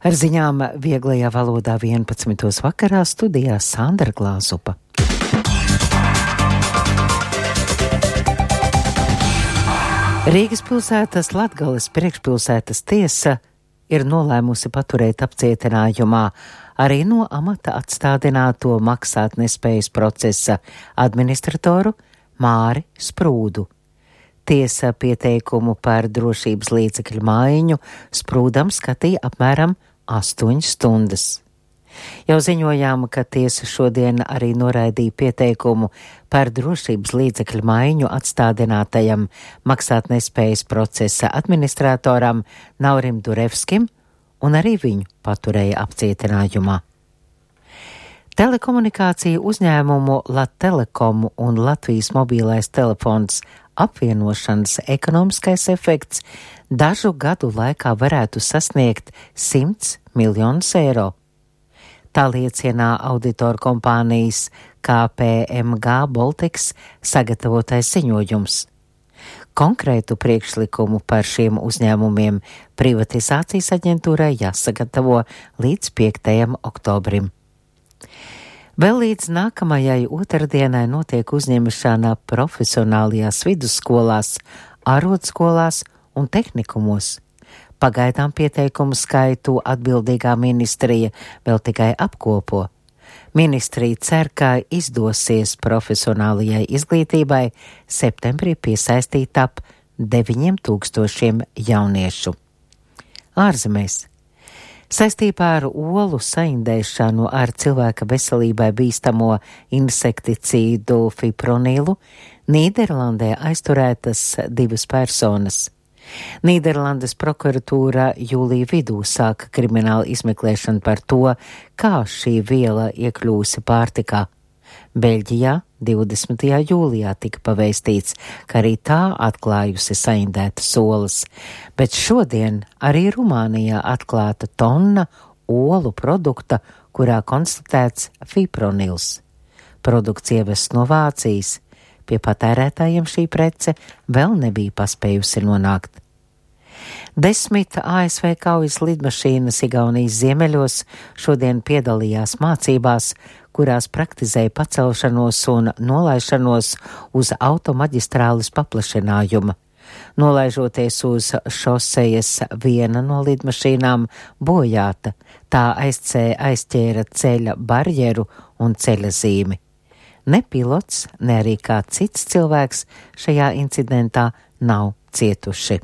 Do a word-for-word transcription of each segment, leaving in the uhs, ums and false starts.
Ar ziņām vieglajā valodā vienpadsmitos vakarā studijā Sandra Glāzupa. Rīgas pilsētas Latgales priekšpilsētas tiesa ir nolēmusi paturēt apcietinājumā arī no amata atstādināto maksātnespējas procesa administratoru Māri Sprūdu. Tiesa pieteikumu par drošības līdzekļu maiņu Sprūdam skatīja apmēram astoņas stundas. Jau ziņojām, ka tiesa šodien arī noraidīja pieteikumu par drošības līdzekļu maiņu atstādinātajam maksātnespējas procesa administratoram Naurim Durevskim, un arī viņu paturēja apcietinājumā. Telekomunikāciju uzņēmumu Latelekomu un Latvijas mobilais telefons apvienošanas ekonomiskais efekts dažu gadu laikā varētu sasniegt simts miljonus eiro. Tā liecina auditoru kompānijas K P M G Baltics sagatavotais ziņojums. Konkrētu priekšlikumu par šiem uzņēmumiem privatizācijas aģentūrai jāsagatavo līdz piektajam oktobrim. Vēl līdz nākamajai otrdienai notiek uzņemšana profesionālajās vidusskolās, ārodskolās un tehnikumos. Pagaidām pieteikumu skaitu atbildīgā ministrija vēl tikai apkopo. Ministrija cer, ka izdosies profesionālajai izglītībai septembrī piesaistīt ap deviņiem tūkstošiem jauniešu. Ārzemēs. Saistībā ar olu saindēšanu ar cilvēka veselībai bīstamo insekticīdu fipronilu Nīderlandē aizturētas divas personas. Nīderlandes prokuratūra jūlija vidū sāka kriminālu izmeklēšanu par to, kā šī viela iekļūsi pārtikā. Beļģijā divdesmitajā jūlijā tika pavēstīts, ka arī tā atklājusi saindētas olas, bet šodien arī Rumānijā atklāta tonna olu produkta, kurā konstatēts fipronils. Produkts ievests no Vācijas. Pie patērētājiem šī prece vēl nebija paspējusi nonākt. Desmit A S V kaujas lidmašīnas Igaunijas ziemeļos šodien piedalījās mācībās, kurās praktizēja pacelšanos un nolaišanos uz automaģistrāles paplašinājuma. Nolaižoties uz šosejas, viena no lidmašīnām bojāta, tā aizcē, aizķēra ceļa barjeru un ceļa zīmi. Ne pilots, ne arī kāds cits cilvēks šajā incidentā nav cietuši.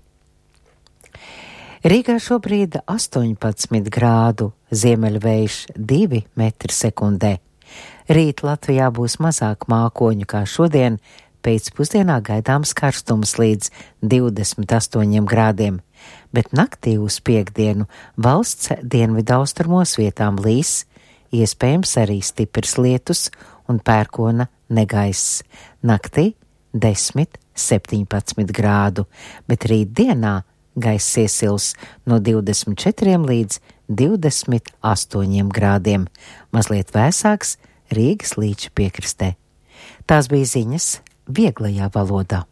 Rīgā šobrīd astoņpadsmit grādu, ziemeļvējš divi metri sekundē. Rīt Latvijā būs mazāk mākoņu kā šodien, pēcpusdienā gaidāms karstums līdz divdesmit astoņiem grādiem, bet naktī uz piekdienu valsts dienvidaustrumos vietām līs, iespējams arī stiprs lietus un pērkona negaiss. Naktī desmit septiņpadsmit grādu, bet rīt dienā gaiss iesils no divdesmit četriem līdz divdesmit astoņiem grādiem, mazliet vēsāks Rīgas līča piekrastē. Tās bija ziņas vieglajā valodā.